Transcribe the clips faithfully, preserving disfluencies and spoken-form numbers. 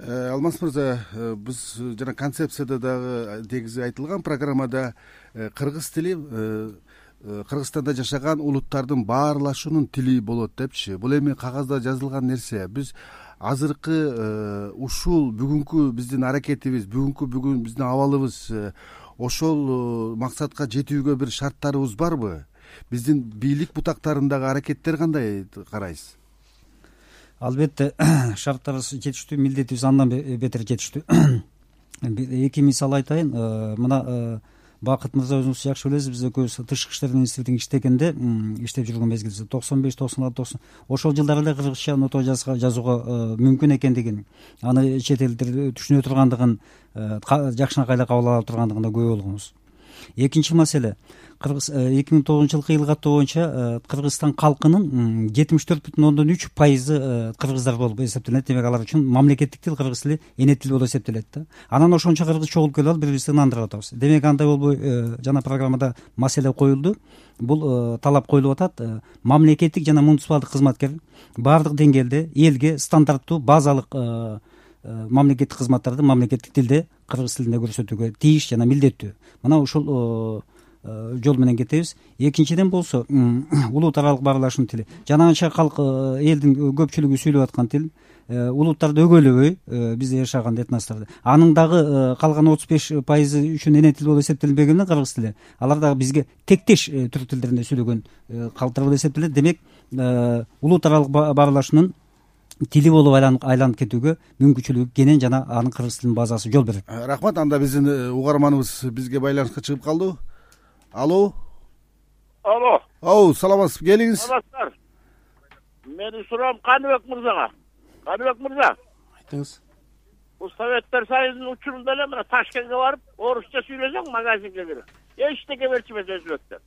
Алмаз мырза, биз жана концепцияда дагы негизи айтылган программада кыргыз тили Кыргызстанда жашаган улуттардын баарлашуунун тили болот депчи. Бул эми кагазда жазылган нерсе. Биз азыркы ушул бүгүнкү биздин аракетибиз, бүгүнкү бүгүн биздин абалыбыз ошол максатка жетүүгө бир шарттарыбыз барбы? Биздин бийлик бутактарындагы аракеттер кандай карайсыз? Албетте шарттарыбыз жетиштүү, милдетибиз андан бетер жетиштүү. Эки мисал айтайын. Мына Бакыт мырза өзүңүз жакшы билесиз, биз экөөбүз тышкы иштер министрлигинде иштегенде, иштеп жүргөн мезгилибиз токсон беш токсон алты токсон ошол жылдары эле кыргызча нотого жазууга мүмкүн экендигин, аны чет элдер түшүнө тургандыгын, жакшынакай эле кабыл ала тургандыгына күбө болгонбуз. Экинчи маселе, Кыргыз эки миң тогузунчу жылкы ыл каттоо боюнча Кыргызстан калкынын жетимиш төрт бүтүн ондон үч пайызы кыргыздар болуп эсептелет. Демек алар үчүн мамлекеттик тил кыргыз тили эне тил болуп эсептелет да. Анан ошончо кыргыз чогулуп келип алып бири бирибизди ынандырып атабыз. Демек андай болбой, жана программада маселе коюлду. Бул талап коюлуп атат. Мамлекеттик жана муниципалдык кызматкер баардык деңгээлде элге стандарттуу базалык мамлекеттик кызматтарды мамлекеттик тилде, кыргыз тилинде көрсөтүүгө тийиш жана милдеттүү. Мына ушул жол менен кетебиз. Экинчиден болсо, улут аралык баарлашуунун тили. Жанагынча калк элдин көпчүлүгү сүйлөп аткан тил, улуттарды өгөйлөбөй, бизде жашаган этносторду. Анын дагы калган отуз беш пайызы үчүн эне тил болуп эсептелбегенде кыргыз тили, алар дагы бизге тектеш түрк тилдеринде сүйлөгөн калктар болуп эсептелет. Демек, улут аралык баарлашуунун тили болуп айланып кетүүгө мүмкүнчүлүгү кенен жана анын кыргыз тилинин базасы жол берет. Рахмат. Анда биздин угарманыбыз бизге байланышка чыгып калды. Алло. Алло. Оу, саламатсызбы? Келиңиз. Саламатсыздар. Менин суроом Каныбек мырзага. Каныбек мырза. Айтыңыз. Бул Советтер Союзунун учурунда эле мына Ташкентке барып, орусча сүйлөсөң магазинге кирип, эчтеке берчимес өзүлөктөр.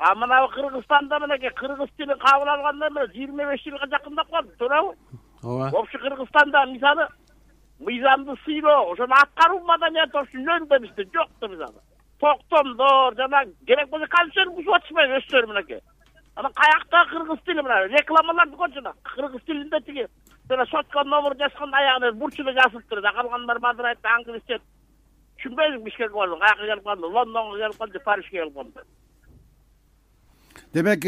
А мына Кыргызстанда мынакей кыргыз тилин кабыл алганда мына жыйырма беш жылга жакындап калды, туурабы? Ооба. Вообще Кыргызстанда мисалы мыйзамды сыйлоо, ошону аткаруу маданияты ошондо бизде жок да мисалы. Токтомдор жана керек болсо концерн бузуп атышпайбы өздөрү мынакей. Анан каякта кыргыз тили мына рекламаларды көрчү жана кыргыз тилинде тиги жана сотко номер жазганда аягына бурчуна жазылып турат. Калгандар мадырайт, англисче түшүнбөйм. Бишкекке бардым, каяка келип калдым, Лондонго келип калдым, Парижге келип калдым. Демек,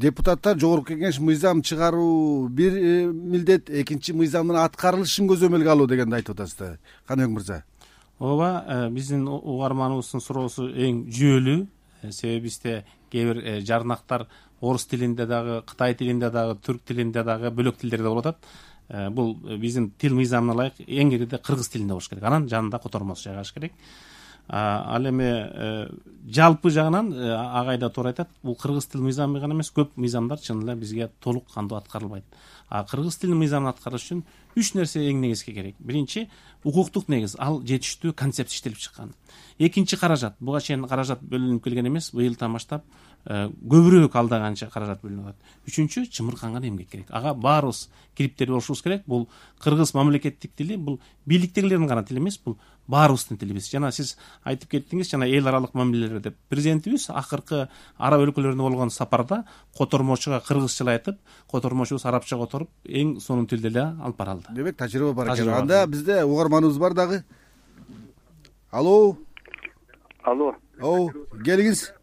депутаттар жогорку кеңеш мыйзам чыгаруу бир милдет, экинчи мыйзамдын аткарылышын көзөмөлгө алуу дегенди айтып атасыздар, Каныбек мырза. Ооба, биздин угарманыбыздын суроосу эң жүйөлүү. Себеби бизде кээ бир жарнактар орус тилинде дагы, кытай тилинде дагы, түрк тилинде дагы, бөлөк тилдерде болуп атат. Бул биздин тил мыйзамына ылайык эң кирде кыргыз тилинде болуш керек. Анан жанында котормосу жайгаш керек. Ал эми жалпы жагынан агайда туура айтат. Бул кыргыз тил мыйзамы гана эмес, көп мыйзамдар чын эле бизге толук кандуу аткарылбайт. А кыргыз тилинин мыйзамын аткарыш үчүн үч нерсе эң негизги керек. Биринчи, укуктук негиз, ал жетиштүү концепция иштелип чыккан. Экинчи, каражат. Буга чейин каражат бөлүнүп келген эмес, быйылдан баштап көбүрөөк алдаганча каражат бөлүнүп атат. Үчүнчү, чымырканган эмгек керек. Ага баарыбыз кириптер болушубуз керек. Бул кыргыз мамлекеттик тили, бул бийликтегилердин гана тили эмес, бул баарыбыздын тилибиз. Жана сиз айтып кеттиңиз, жана эл аралык мамилелер деп. Президентибиз акыркы араб өлкөлөрүнө болгон сапарда котормочуга кыргызча айтып, котормочубуз арабча которуп, эң сонун тилде эле алып баралды. Демек, тажрыйба бар экен. Анда бизде угарманыбыз бар дагы. Алло. Алло. Оу, келиңиз.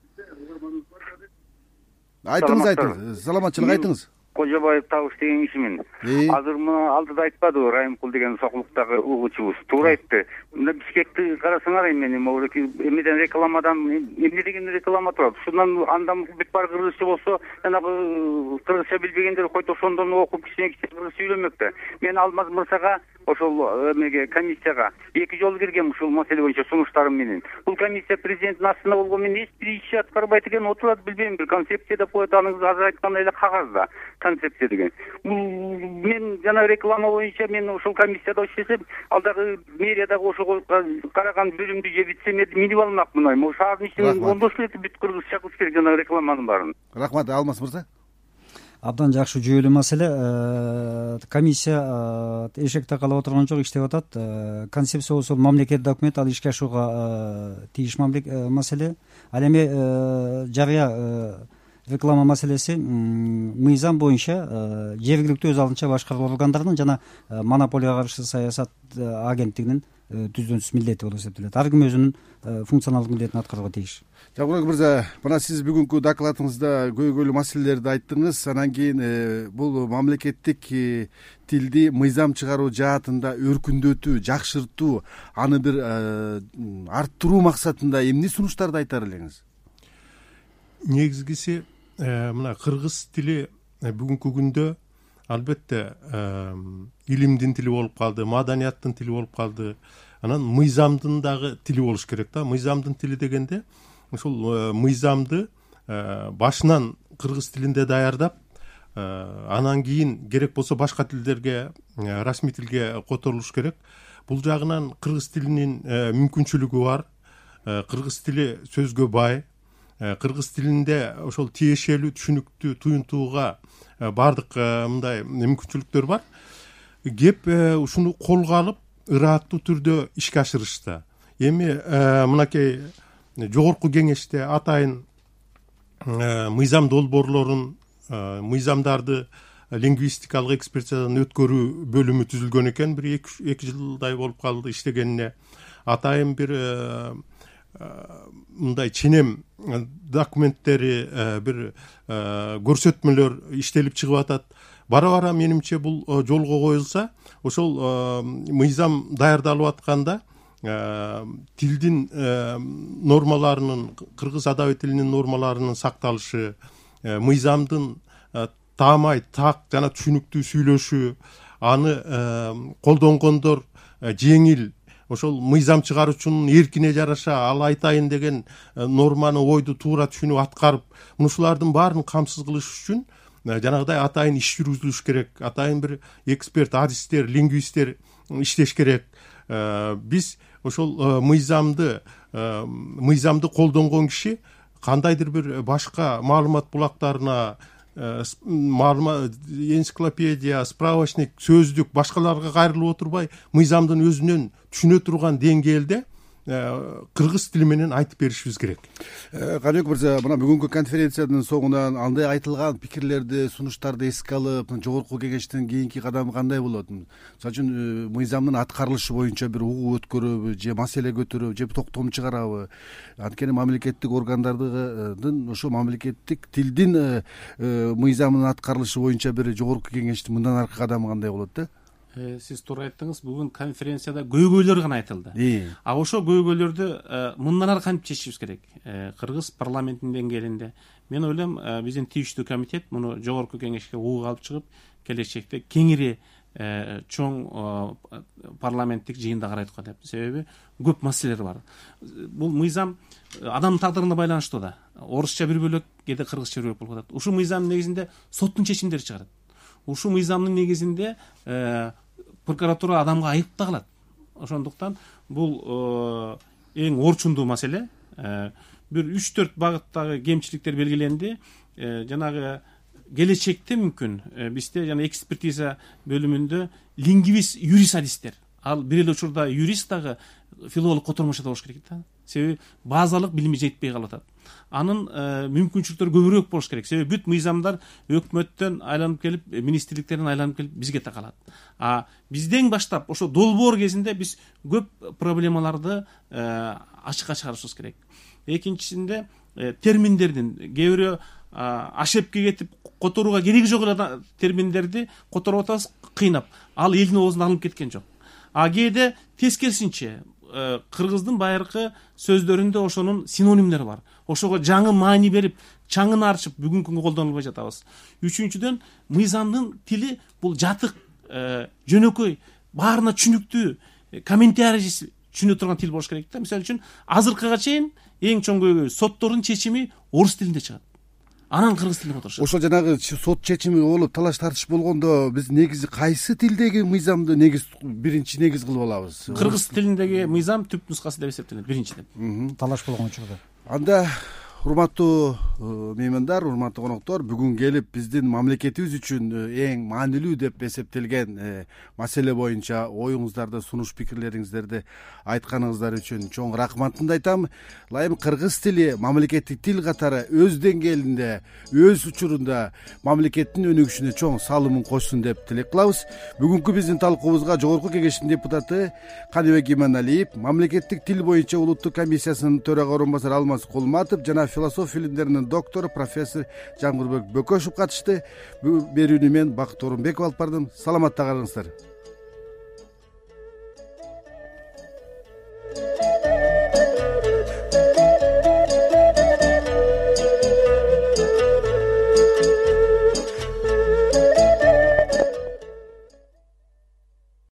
Айтыңыз, айтыңыз. Саламатчылык айтыңыз. Кожобаев Табыш деген кишимин. Азыр мына алдыда айтпадыбы, Райымкул деген Сокулуктагы угуучубуз туура айтты. Мына Бишкекти карасаңар, эмне могу эмнеден рекламадан эмне деген реклама турат. Ушундан андан бүт бар кыргызча болсо, жанагы кыргызча билбегендер който ошондон окуп кичине кичине кыргыз сүйлөмөк да. Мен Алмаз мырзага ошол эмеге комиссияга эки жолу киргем ушул маселе боюнча сунуштарым менен. Бул комиссия президенттин астында болгон менен эч бир иш аткарбайт экен, отурат билбейм, бир концепция деп коет, анын азыр айткандай эле кагазда концепция деген. Мен жана реклама боюнча мен ошол комиссияда иштесем, ал дагы мэриядагы ошого караган бөлүмдү же вице-мэрди минип алмакмын. Могу шаардын ичинен ондош эле бүт кыргызча кылыш керек жана рекламанын баарын. Рахмат, Алмаз мырза. Абдан жакшы жүйөлүү маселе. Комиссия эшек такалап отурган жок, иштеп атат. Концепция болсо мамлекеттик документ, ал ишке ашууга тийиш маселе. Ал эми жарыя реклама маселеси мыйзам боюнча жергиликтүү өз алдынча башкаруу органдарынын жана монополияга каршы саясат агенттигинин түздөн-түз милдети болуп эсептелет. Ар ким өзүнүн функционалдык милдетин аткарууга тийиш. Жагурбек мырза, мына сиз бүгүнкү докладыңызда көйгөйлүү маселелерди айттыңыз. Анан кийин бул мамлекеттик тилди мыйзам чыгаруу жаатында өркүндөтүү, жакшыртуу, аны бир арттыруу максатында эмне сунуштарды айтар элеңиз? Негизгиси мына кыргыз тили бүгүнкү күндө албетте илимдин тили болуп калды, маданияттын тили болуп калды. Анан мыйзамдын дагы тили болуш керек да. Мыйзамдын тили дегенде ошол мыйзамды башынан кыргыз тилинде даярдап, анан кийин керек болсо башка тилдерге, расмий тилге которулуш керек. Бул жагынан кыргыз тилинин мүмкүнчүлүгү бар. Кыргыз тили сөзгө бай. Кыргыз тилинде ошол тиешелүү, түшүнүктүү, туюнтууга баардык мындай мүмкүнчүлүктөр бар. Кеп ушуну колго алып, ырааттуу түрдө ишке ашырышта. Эми мынакей жогорку кеңеште атайын мыйзам долбоорлорун, мыйзамдарды лингвистикалык экспертизадан өткөрүү бөлүмү түзүлгөн экен. Бир эки жылдай болуп калды иштегенине. Атайын бир мындай ченем документтери, бир көрсөтмөлөр иштелип чыгып атат. Бара-бара менимче бул жолго коюлса, ошол мыйзам даярдалып атканда тилдин нормаларынын, кыргыз адаби тилинин нормаларынын сакталышы, мыйзамдын таамай, так жана түшүнүктүү сүйлөшү, аны колдонгондор жеңил, ошол мыйзам чыгаруучунун эркине жараша ал айтайын деген норманы, ойду туура түшүнүп аткарып, мушулардын баарын камсыз кылыш үчүн жанагыдай атайын иш жүргүзүлүш керек. Атайын бир эксперт, адистер, лингвисттер иштеш керек. Биз ошол мыйзамды мыйзамды колдонгон киши кандайдыр бир башка маалымат булактарына, маалымат энциклопедия, справочник, сөздүк башкаларга кайрылып отурбай, мыйзамдын өзүнөн түшүнө турган деңгээлде кыргыз тили менен айтып беришибиз керек. Каныбек мырза, мына бүгүнкү конференциянын соңунан андай айтылган пикирлерди, сунуштарды эске алып, жогорку кеңештин кийинки кадамы кандай болот? Мисалы үчүн мыйзамдын аткарылышы боюнча бир угуу өткөрөбү, же маселе көтөрөбү, же токтом чыгарабы? Анткени мамлекеттик органдардын ошо мамлекеттик тилдин мыйзамынын аткарылышы боюнча бир жогорку кеңештин мындан аркы кадамы кандай болот да? Сиз туура айттыңыз, бүгүн конференцияда көйгөйлөр гана айтылды. А ошо көйгөйлөрдү мындан ары кантип чечишибиз керек? Кыргыз парламентинин деңгээлинде. Мен ойлойм, биздин тийиштүү комитет муну жогорку кеңешке угуп алып чыгып, келечекте кеңири чоң парламенттик жыйында карайтка деп. Себеби көп маселелер бар. Бул мыйзам адамдын тагдырына байланыштуу да. Орусча бир бөлөк, кээде кыргызча бир бөлөк болуп атат. Ушул мыйзамдын негизинде соттун чечимдери чыгарат. Ушул мыйзамдын негизинде прокуратура адамга айып да кылат. Ошондуктан бул эң орчундуу маселе. Бир үч төрт багыттагы кемчиликтер белгиленди. Жанагы келечекте мүмкүн бизде жана экспертиза бөлүмүндө лингвист, юрист адистер. Ал бир эле учурда юрист дагы филолог котормошодо болуш керек да. Себеби базалык билими жетпей калып атат. Анын мүмкүнчүлүктөрү көбүрөөк болуш керек. Себеби бүт мыйзамдар өкмөттөн айланып келип, министрликтерден айланып келип бизге такалат. А бизден баштап ошо долбоор кезинде биз көп проблемаларды ачыкка чыгарышыбыз керек. Экинчисинде терминдердин кээ бирөө ашепке кетип которууга кереги жок эле терминдерди которуп атабыз кыйнап. Ал элдин оозуна алынып кеткен жок. А кээде тескерисинче кыргыздын байыркы сөздөрүндө ошонун синонимдери бар. Ошого жаңы маани берип, чаңын арчып бүгүнкү күнгө колдонулбай жатабыз. Үчүнчүдөн, мыйзамдын тили бул жатык, жөнөкөй, баарына түшүнүктүү, комментарий түшүнө турган тил болуш керек да. Мисалы үчүн, азыркыга чейин эң чоң көйгөй соттордун чечими орус тилинде чыгат. Анан кыргыз тилине которушат. Ошол жанагы сот чечими болуп талаш тартыш болгондо биз негизи кайсы тилдеги мыйзамды негиз биринчи негиз кылып алабыз? Кыргыз тилиндеги мыйзам түп нускасы деп эсептелет биринчиден. Талаш болгон учурда. Анда урматтуу меймандар, урматтуу коноктор, бүгүн келип биздин мамлекетибиз үчүн эң маанилүү деп эсептелген маселе боюнча оюңуздарды, сунуш пикирлериңиздерди айтканыңыздар үчүн чоң рахматымды айтам. Ылайым кыргыз тили мамлекеттик тил катары өз деңгээлинде, өз учурунда мамлекеттин өнүгүшүнө чоң салымын кошсун деп тилек кылабыз. Бүгүнкү биздин талкуубузга Жогорку Кеңештин депутаты Каныбек Иманалиев, мамлекеттик тил боюнча улуттук комиссиясынын төрага орун басары Алмаз Кулматов жана философия илимдеринин доктору профессор Жангылбек Бөкөшев катышты. Берүүнү мен Бакыт Орунбеков алып бардым. Саламатта калыңыздар.